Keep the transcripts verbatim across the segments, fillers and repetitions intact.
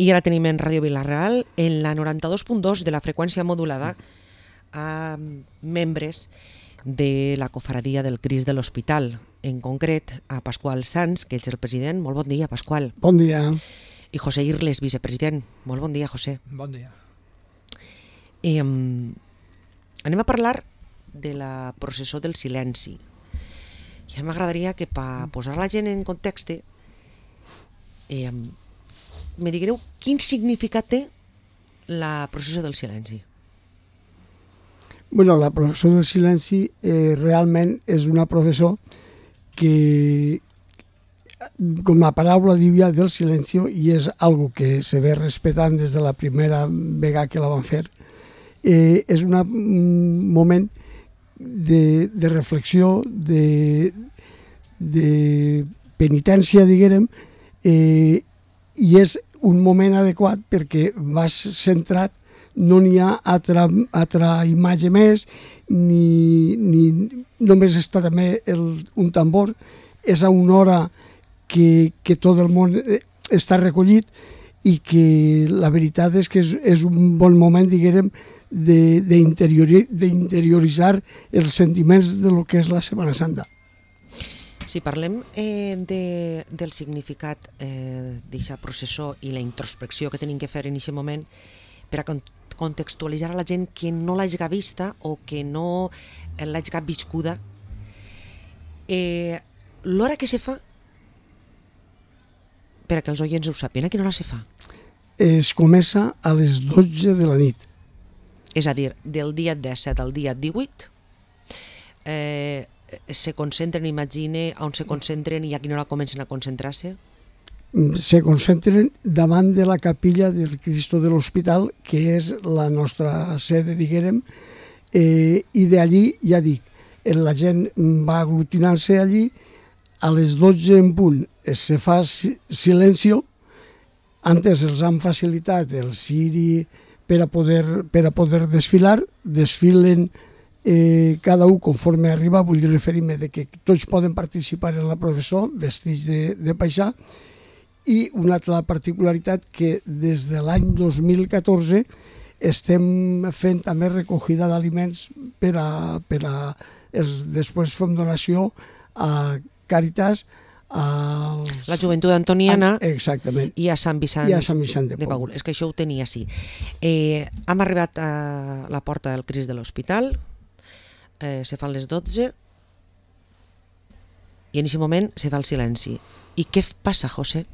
I ara tenim en Ràdio Vila-real, en la noranta-dos punt dos de la freqüència modulada, a membres de la cofradia del Crist de l'Hospital, en concret a Pasqual Sans, que és el president. Molt bon dia, Pasqual. Bon dia. I José Irles, vicepresident. Molt bon dia, José. Bon dia. I, um, anem a parlar de la processó del silenci. Ja m'agradaria que per posar la gent en context eh, me digueu quin significat té la processó del silenci. Bueno, la processó del silenci eh, realment és una processó que, com la paraula diu ja, del silenci, i és algo que se ve respetant des de la primera vegada que la van fer, eh, és una, un moment de, de reflexió, de, de penitència, diguem, eh, i és un moment adequat perquè vas centrat, no n'hi ha altra, altra imatge més, ni, ni només està també el, un tambor, és a una hora que, que tot el món està recollit i que la veritat és que és, és un bon moment, diguem, d'interioritzar els sentiments de lo que és la Setmana Santa. Si parlem eh, de, del significat eh, d'aquesta processó i la introspecció que tenim que fer en aquest moment per a contextualitzar a la gent que no l'hagi vista o que no l'hagi viscuda, eh, l'hora que se fa, per a que els oients ho sàpien, a quina hora se fa? Es comença a les dotze de la nit. És a dir, del dia disset al dia divuit, eh, se concentren, imagine, on se concentren i a quina hora comencen a concentrar-se? Se concentren davant de la capilla del Cristo de l'Hospital, que és la nostra sede, diguem, eh, i d'allí, ja dic, la gent va aglutinant-se allí, a les dotze en punt se fa silenci, antes els han facilitat el ciri per a poder, per a poder desfilar, desfilen Eh, cada un conforme arriba, vull referir-me de que tots poden participar en la processó vestits de, de paisà, i una altra particularitat que des de l'any dos mil catorze estem fent també recollida d'aliments per a, per a els, després fem donació a Càritas, als... la Joventut Antoniana, exactament, i a Sant Vicent, i a Sant Vicent de, de Paül. És que això ho tenia així. Eh, hem arribat a la porta del Crist de l'Hospital, Eh, se fan les dotze i en aquest moment se fa el silenci. I què passa, José?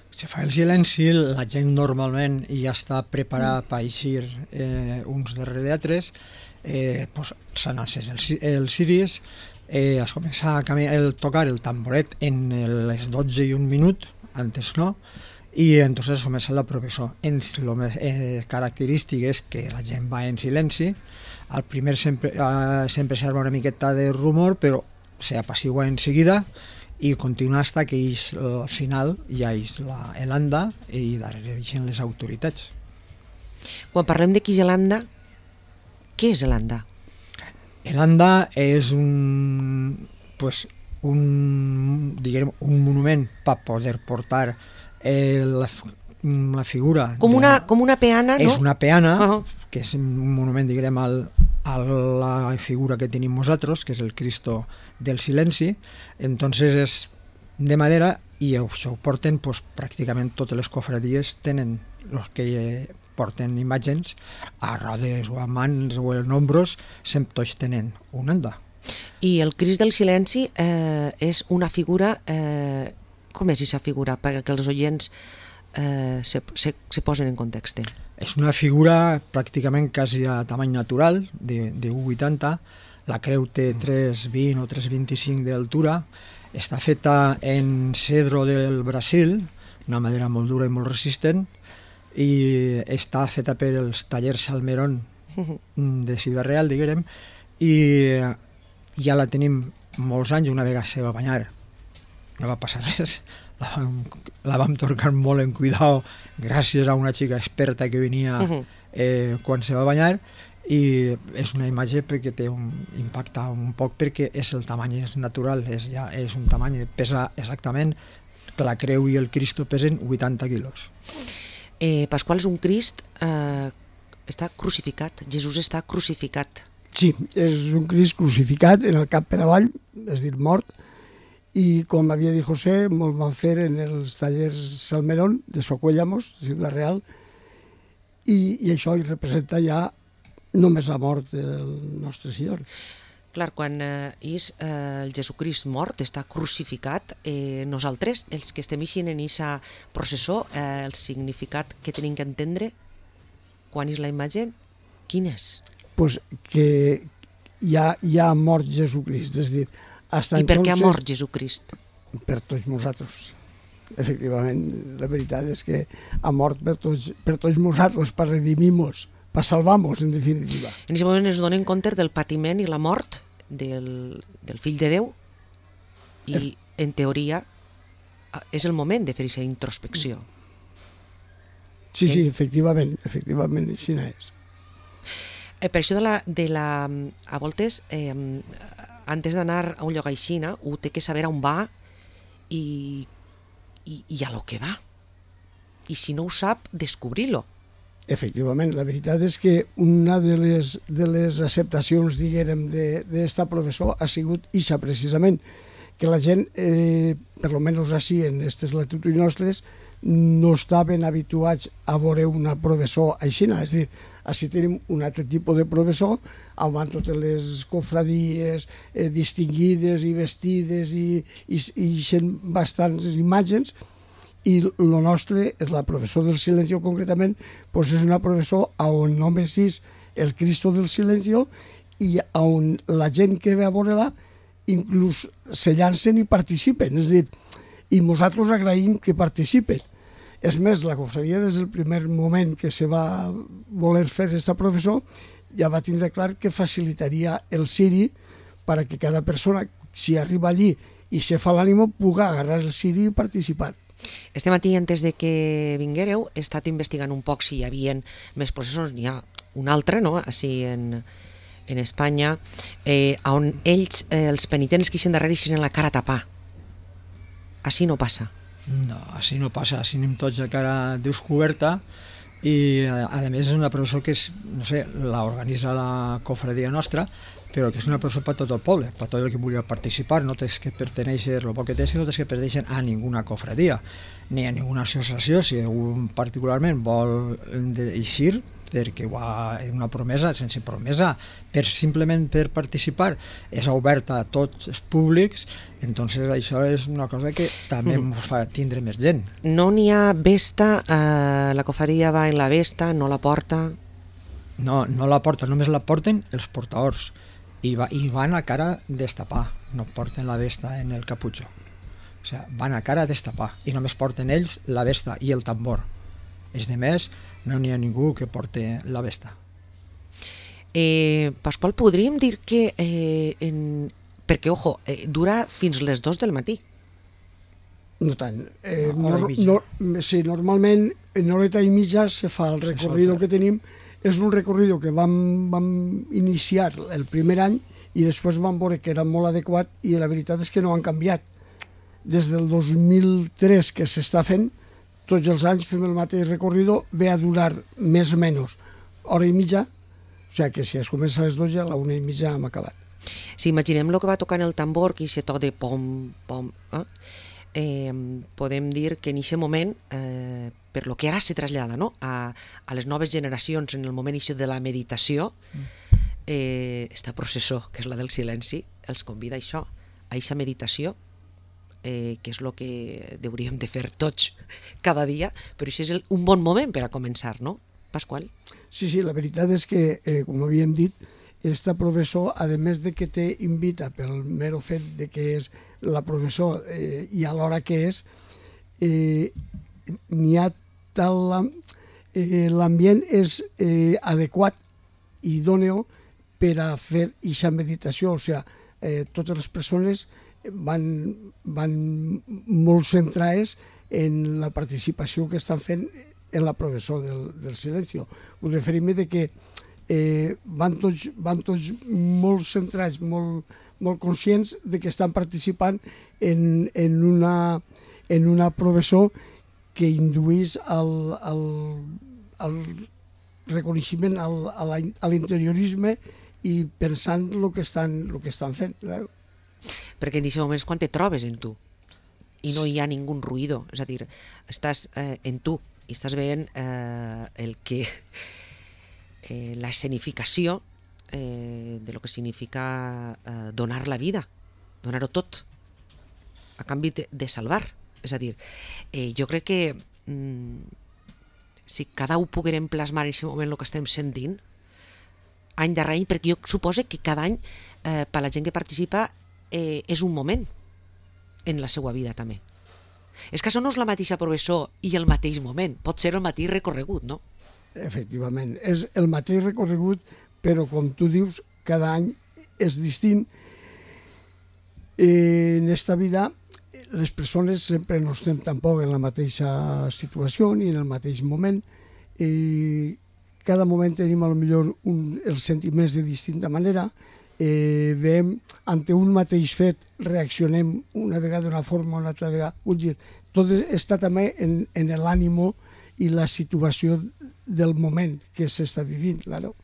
Se fa el silenci, la gent normalment ja està preparada per eixir eh, uns darrere d'altres, eh, pues, s'han encès els, els ciris, eh, es comença a caminar, el, tocar el tamboret en les dotze i un minut, antes no, i entonces comença la processó. Lo més eh, característic és que la gent va en silenci. Al primer sempre, eh, sempre s'arma una miqueta de rumor, però s'apacigua en seguida i continua fins que ells, al final ja és l'Anda i darrere eixen les autoritats. Quan parlem de l'Anda, què és l'Anda? L'Anda és un, pues, un, diguem, un monument per poder portar eh, la, la figura... Com una, de, com una peana, no? És una peana, uh-huh. que és un monument, diguem, al, a la figura que tenim nosaltres, que és el Cristo del Silenci. Entonces és de madera i això ho porten, pues, pràcticament totes les cofradies tenen, els que porten imatges a rodes o a mans o en ombros, sempre tots tenen un anda. I el Crist del Silenci eh, és una figura... Eh, com és aquesta figura? Perquè els oients eh, se, se, se posen en context. És una figura pràcticament quasi a tamany natural, de, de u coma vuitanta. La creu té tres coma vint o tres coma vint-i-cinc d'altura. Està feta en cedro del Brasil, una madera molt dura i molt resistent, i està feta per els tallers Salmerón de Ciutat Real, diguem, i ja la tenim molts anys. Una vegada se va banyar, no va passar res, la vam, la vam tornar molt en cuidado gràcies a una xica experta que venia eh, quan se va banyar, i és una imatge perquè té un impacte un poc, perquè és el tamany, és natural, és, ja, és un tamany, pesa exactament, la creu i el Cristo pesen vuitanta quilos. Eh, Pasqual és un Crist, eh, està crucificat, Jesús està crucificat. Sí, és un Crist crucificat en el cap per avall, és dir, mort, i com havia dit José, molt van fer en els tallers Salmerón de Socuéllamos, de Ciutat Real, i, i això hi representa ja només la mort del nostre Senyor. Clar, quan eh, és eh, el Jesucrist mort, està crucificat, eh, nosaltres, els que estem eixint en aquesta processó, eh, el significat que tenim que entendre quan és la imatge, quin és? Pues que ja, ja ha mort Jesucrist, és dir, hasta I per què ha entonces, mort Jesucrist? Per tots nosaltres. Efectivament, la veritat és que ha mort per tots, per tots nosaltres, per redimir-nos, per salvar-nos, en definitiva. En aquest moment es donen compte del patiment i la mort del, del fill de Déu i, en teoria, és el moment de fer aquesta introspecció. Sí, sí, efectivament, efectivament, així és. Eh, per això de la, de la, a voltes, eh, antes d'anar a un lloc aixina, ho té que saber on va i, i, i a lo que va. I si no ho sap, descobrir-lo. Efectivament, la veritat és que una de les, de les acceptacions, diguérem, d'esta professor ha sigut ixa, precisament, que la gent, eh, per lo menys així, en aquestes latituds nostres, no estaven habituats a veure una professor aixina, és a dir, així tenim un altre tipus de professor, on van totes les cofradies eh, distingides i vestides i, i, i sent bastants imatges, i el nostre, la professor del Silencio concretament, pues és una professor on només és el Cristo del Silencio i on la gent que ve a veure-la inclús se llancen i participen, és a dir, i nosaltres agraïm que participen. És més, la cofradia des del primer moment que se va voler fer aquesta professor ja va tindre clar que facilitaria el ciri per a que cada persona, si arriba allí i se fa l'ànimo, pugui agarrar el ciri i participar. Este matí, antes de que vinguéreu, he estat investigant un poc si hi havia més processos. N'hi ha un altre, no?, així en, en Espanya, eh, on ells, eh, els penitents que ixen darrere, ixen la cara a tapar. Així no passa. No, així no passa, així anem tots de cara descoberta i a, a més és una professor que és, no sé, l'organitza la cofradia nostra, però que és una professor per tot el poble, per tot el que vulgui participar, no tens que pertenèixer, el poc que tens, no tens que pertenèixer a ninguna cofradia, ni a ninguna associació, si algú particularment vol eixir, perquè ho ha una promesa, sense promesa, per simplement per participar, és oberta a tots els públics, entonces això és una cosa que també ens fa tindre més gent. No n'hi ha vesta, eh, la cofradia va en la vesta, no la porta... No, no la porten, només la porten els portadors i, va, i van a cara destapar, no porten la vesta en el caputxo. O sigui, van a cara destapar i només porten ells la vesta i el tambor. És de més, no n'hi ha ningú que porte la vesta. Eh, Pasqual, podríem dir que... Eh, en... Perquè, ojo, eh, dura fins les dos del matí. No tant. Eh, Una hora no, i mitja. no, sí, normalment en horeta i mitja se fa el recorrido que tenim. És un recorrido que vam, vam iniciar el primer any i després vam veure que era molt adequat i la veritat és que no han canviat. Des del dos mil tres que s'està fent, tots els anys fem el mateix recorrido, ve a durar més o menys hora i mitja, o sigui que si es comença a les dotze, a la una i mitja hem acabat. Si imaginem el que va tocant el tambor, que se to de pom, pom, eh? Eh, podem dir que en aquest moment, eh, per lo que ara se trasllada, no?, a, a les noves generacions, en el moment això de la meditació, eh, esta processó, que és la del silenci, els convida a això, a aquesta meditació, eh, que és el que hauríem de fer tots cada dia, però això és el, un bon moment per a començar, no, Pasqual? Sí, sí, la veritat és que, eh, com havíem dit, esta professor, a més de que te invita pel mero fet de que és la professor eh, i a l'hora que és, eh, n'hi ha tal... Eh, l'ambient és eh, adequat i idòneo per a fer aquesta meditació, o sigui, eh, totes les persones van, van molt centrades en la participació que estan fent en la professor del, del Silencio. Us referim de que eh, van, tots, van tots molt centrats, molt, molt conscients de que estan participant en, en, una, en una professor que induís al, al, al reconeixement, al, a l'interiorisme i pensant el que estan, el que estan fent. Claro. Perquè en aquest moment és quan te trobes en tu i no hi ha ningú ruïdo, és a dir, estàs eh, en tu i estàs veient eh, el que eh, la escenificació eh, de lo que significa eh, donar la vida, donar-ho tot a canvi de, de salvar. És a dir, eh, jo crec que mm, si cada un poguérem plasmar en aquest moment el que estem sentint any darrere any, perquè jo suposo que cada any eh, per la gent que participa eh, és un moment en la seva vida també. És que això no és la mateixa professor i el mateix moment, pot ser el mateix recorregut, no? Efectivament, és el mateix recorregut, però com tu dius, cada any és distint. Eh, en esta vida les persones sempre no estem tampoc en la mateixa situació ni en el mateix moment. Eh, cada moment tenim a lo millor un, els sentiments de distinta manera. Eh, veiem, ante un mateix fet reaccionem una vegada d'una forma, una altra vegada. Vull dir, tot està també en, en l'ànimo i la situació del moment que s'està vivint, claro.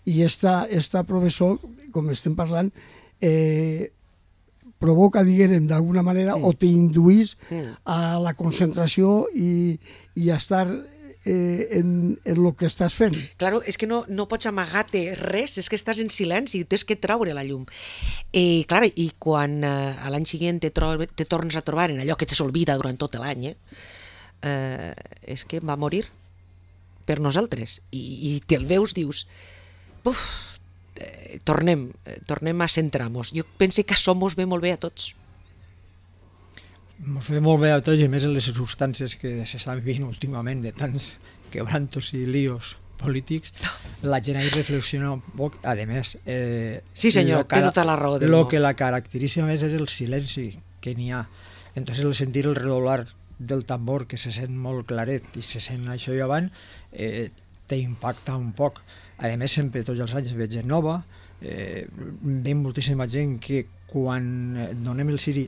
I esta, esta professor, com estem parlant, eh, provoca, diguem, d'alguna manera, sí. o t'induís sí. a la concentració i, i a estar eh, en, en el que estàs fent. Claro, és que no, no pots amagar-te res, és que estàs en silenci, tens que traure la llum. Eh, clar, i quan eh, a l'any següent te, trob, te tornes a trobar en allò que te s'olvida durant tot l'any, eh, eh, és que va morir per nosaltres. I, i te'l veus, dius, uf, eh, tornem, eh, tornem a centrar-nos. Jo penso que això mos ve molt bé a tots. Mos ve molt bé a tots, i més en les circumstàncies que s'estan vivint últimament, de tants quebrantos i líos polítics, la gent ha de reflexionar un poc. A més, eh, sí senyor, té tota la raó del món. El que la caracteritza més és el silenci que n'hi ha. Entonces el sentir el redoblar del tambor, que se sent molt claret i se sent això i avant, eh, t'impacta un poc. A més, sempre tots els anys veig gent nova, eh, ve moltíssima gent que quan donem el ciri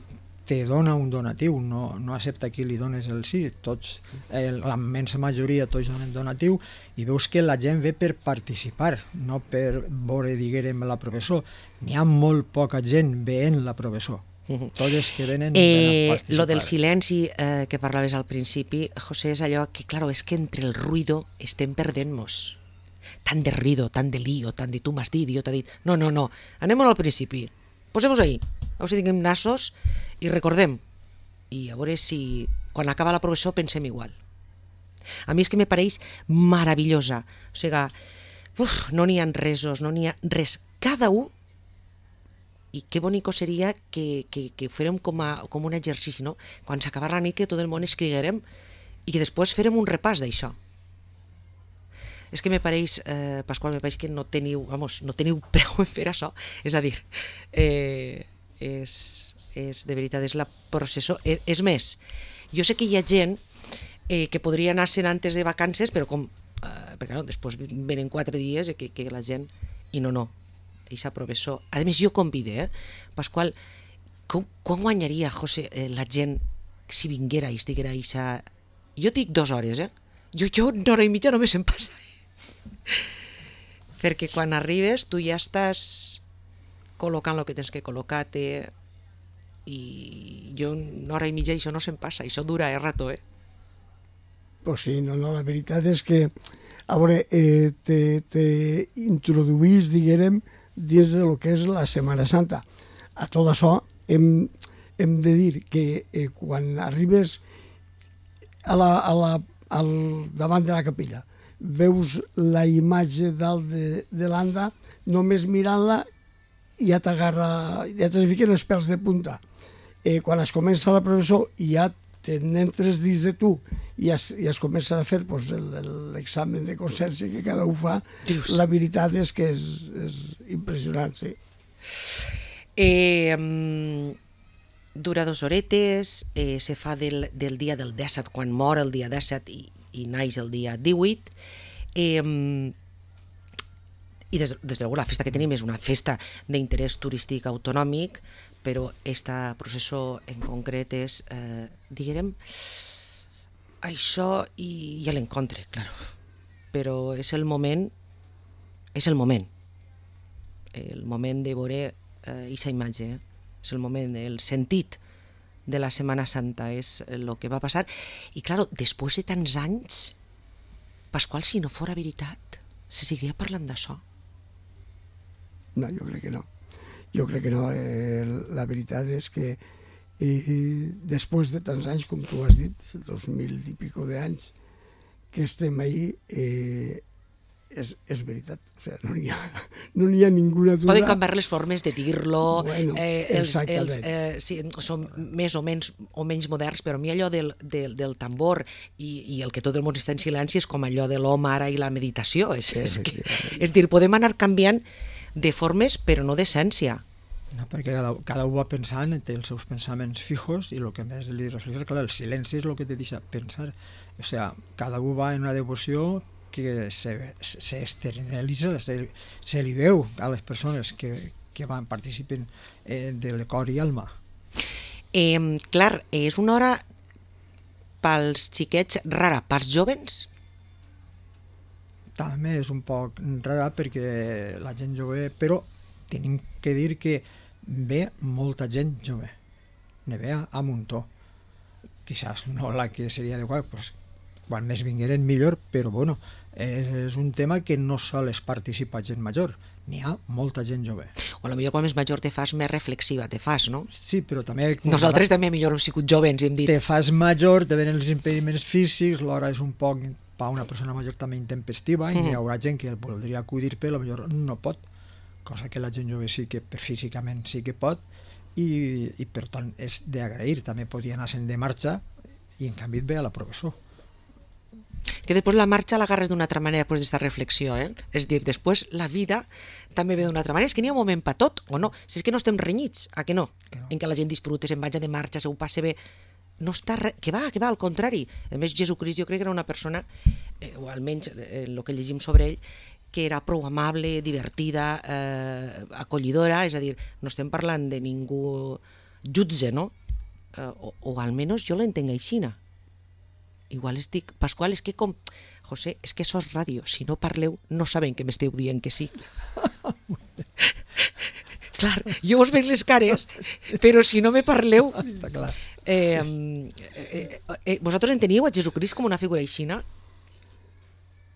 te dona un donatiu, no, no accepta qui li dones el sí, tots, eh, la immensa majoria tots donen donatiu, i veus que la gent ve per participar, no per veure, diguem, la professor. N'hi ha molt poca gent veient la professor. Tots els que venen eh, lo del silenci eh, que parlaves al principi, José, és allò que, claro, és que entre el ruido estem perdent-nos. Tant de ruido, tant de lío, tant de tu m'has dit, jo t'ha dit... No, no, no, anem al principi. Posem-nos ahí. A veure si tinguem nassos i recordem. I a veure si quan acaba la professor pensem igual. A mi és que me pareix meravellosa. O sigui, uf, no n'hi ha resos, no n'hi ha res. Cada un. I que bonico seria que, que, que férem com, a, com un exercici, no? Quan s'acabarà la nit que tot el món escriguerem i que després férem un repàs d'això. És que me pareix, eh, Pasqual, me pareix que no teniu, vamos, no teniu preu en fer això. És a dir, eh, és, és, de veritat, és la processó. És, és més, jo sé que hi ha gent eh, que podria anar-se'n antes de vacances, però com, eh, perquè no, després venen quatre dies i que, que la gent... I no, no, eixa professor. A més, jo convide, eh? Pasqual, com, com guanyaria, José, eh, la gent si vinguera i estiguera eixa... Jo dic dues hores, eh? Jo, jo una hora i mitja només em passa. Perquè quan arribes tu ja estàs col·locant el que tens que col·locar-te i jo una hora i mitja això no se'm passa, això dura eh, rato, eh? Pues sí, no, no, la veritat és que a veure, eh, te, te introduís, diguem, dins de lo que és la Setmana Santa. A tot això hem, hem de dir que eh, quan arribes a la, a la, al davant de la capella veus la imatge dalt de, de l'anda, només mirant-la ja t'agarra, ja te fiquen els pèls de punta. Eh, quan es comença la professor ja te n'entres dins de tu i es, i es comença a fer pues, l'examen de consciència que cada un fa. Dius. La veritat és que és, és impressionant, sí. Eh, um, dura dos horetes, eh, se fa del, del dia del disset, quan mor el dia disset i, i naix el dia divuit. Eh, i des, des de luego la festa que tenim és una festa d'interès turístic autonòmic, però esta processó en concret és, eh, diguem, això i, i l'encontre, claro. Però és el moment, és el moment. El moment de veure aquesta eh, imatge, eh? És el moment, el sentit de la Setmana Santa, és el que va passar. I, claro, després de tants anys, Pasqual, si no fora veritat, se seguiria parlant d'això? No, jo crec que no. Jo crec que no. Eh, la veritat és que eh, després de tants anys, com tu has dit, dos mil i pico d'anys, que estem ahí, eh, és, és veritat. O sigui, no n'hi ha, no n'hi ha ninguna duda. Poden canviar les formes de dir-lo, bueno, eh, els, els, eh, sí, són més o menys, o menys moderns, però a mi allò del, del, del tambor i, i el que tot el món està en silenci és com allò de l'home ara i la meditació. És, és, que, és dir, podem anar canviant de formes, però no d'essència. No, perquè cada, cada un va pensant, té els seus pensaments fijos i el que més li reflexa, clar, el silenci és el que te deixa pensar. O sea, cada un va en una devoció que se, se externalitza, se, se li veu a les persones que, que van participen eh, de cor i alma. Eh, clar, és una hora pels xiquets rara, pels jovens? També és un poc rara perquè la gent jove, però tenim que dir que ve molta gent jove, ne ve a muntó. Quizás no la que seria adequada, pues, quan més vingueren millor, però bueno, és un tema que no sols participa gent major, n'hi ha molta gent jove. O potser quan més major te fas més reflexiva, te fas, no? Sí, però també... Nosaltres també millor hem sigut jovens, hem dit. Te fas major, te venen els impediments físics, l'hora és un poc, per una persona major també intempestiva, mm-hmm. i hi haurà gent que voldria acudir, però potser no pot, cosa que la gent jove sí que físicament sí que pot, i, i per tant és d'agrair, també podia anar-se'n de marxa i en canvi et ve a la professor. Que després la marxa l'agarres d'una altra manera després d'aquesta reflexió, eh? És dir, després la vida també ve d'una altra manera. És que n'hi ha un moment per tot, o no? Si és que no estem renyits, a que no? Que no. En què la gent disfruta, se'n vaja de marxa, se ho passe bé. No està re... Que va, que va, al contrari. A més, Jesucrist jo crec que era una persona, eh, o almenys eh, el que llegim sobre ell, que era prou amable, divertida, eh, acollidora, és a dir, no estem parlant de ningú jutge, no? Eh, o, o almenys jo l'entenc aixina. Igual estic... Pasqual, és que com... José, és que sos ràdio. Si no parleu, no saben que m'esteu dient que sí. Clar, jo us veig les cares, però si no me parleu... Està clar. Eh, eh, eh, vosaltres enteniu a Jesucrist com una figura aixina?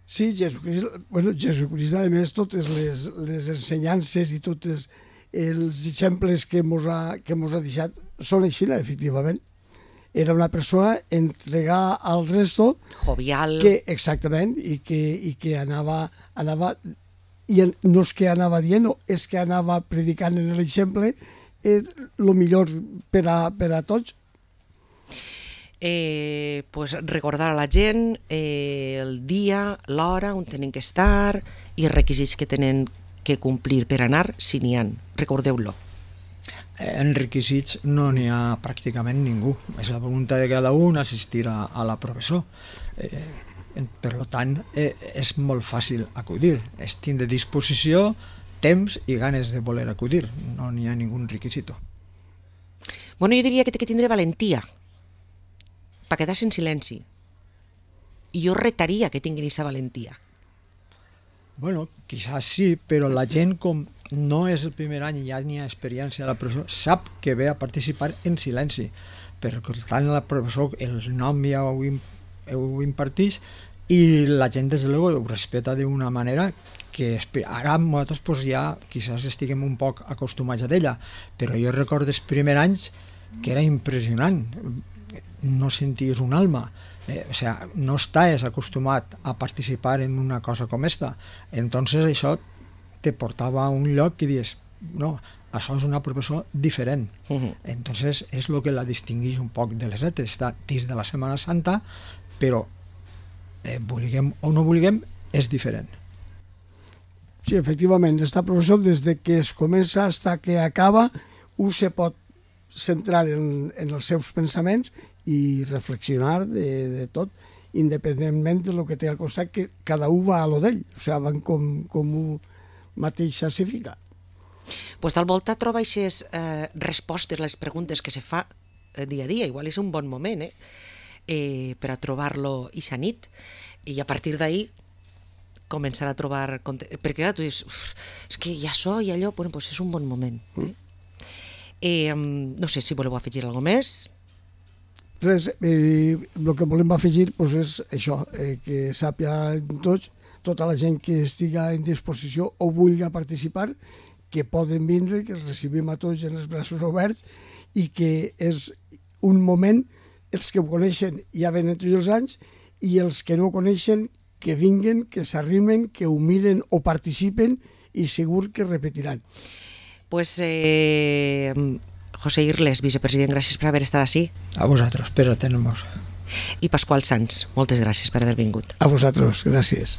Sí, Jesucrist, bueno, Jesucrist, a més, totes les, les ensenyances i tots els exemples que mos ha, que mos ha deixat són aixina, efectivament. Era una persona entregada al resto, jovial, que, exactament, i que, i que anava, anava, i no és que anava dient, és que anava predicant en l'exemple el eh, millor per a, per a tots. Eh, pues recordar a la gent eh, el dia, l'hora on tenen que estar i els requisits que tenen que complir per anar, si n'hi ha. Recordeu-lo. En requisits no n'hi ha pràcticament ningú. És la voluntat de cada un assistir a, a la professor. Eh, per tant, eh, és molt fàcil acudir. És tindre disposició, temps i ganes de voler acudir. No n'hi ha ningú requisito. Bueno, jo diria que té que tindre valentia per quedar-se en silenci. I jo retaria que tinguin aquesta valentia. Bueno, quizás sí, però la gent, com no és el primer any i ja n'hi ha experiència a la professor, sap que ve a participar en silenci. Per tant, la professor, el nom ja ho, ho imparteix i la gent, des de luego, ho respeta d'una manera que ara nosaltres pues, ja quizás estiguem un poc acostumats a ella, però jo recordo els primers anys que era impressionant. No senties un alma. Eh, o sea, no estàs acostumat a participar en una cosa com esta. Entonces això te portava a un lloc que dius, no, això és una professor diferent. Uh-huh. Entonces és el que la distingueix un poc de les altres. Està dins de la Setmana Santa, però eh, vulguem o no vulguem, és diferent. Sí, efectivament, esta professor des de que es comença fins que acaba, un se pot centrar en, en els seus pensaments i reflexionar de, de tot, independentment de lo que té al costat, que cada un va a lo d'ell, o sigui, van com, com un mateix s'assifica. Pues tal volta troba aquestes eh, respostes a les preguntes que se fa eh, dia a dia, igual és un bon moment, eh? eh, per a trobar-lo ixa nit, i a partir d'ahir començar a trobar... Perquè clar, tu dius, és que ja so i allò, bueno, pues és un bon moment. Eh? Eh, no sé si voleu afegir alguna cosa més. Res, eh, el que volem afegir pues, és això, eh, que sàpia tots, tota la gent que estiga en disposició o vulgui participar, que poden vindre, que els recibim a tots en els braços oberts i que és un moment, els que ho coneixen ja venen tots els anys i els que no ho coneixen que vinguen, que s'arrimen, que ho miren o participen i segur que repetiran. Pues eh, José Irles, vicepresident, gràcies per haver estat així. A vosaltres, per atenernos. I Pasqual Sans, moltes gràcies per haver vingut. A vosaltres, gràcies.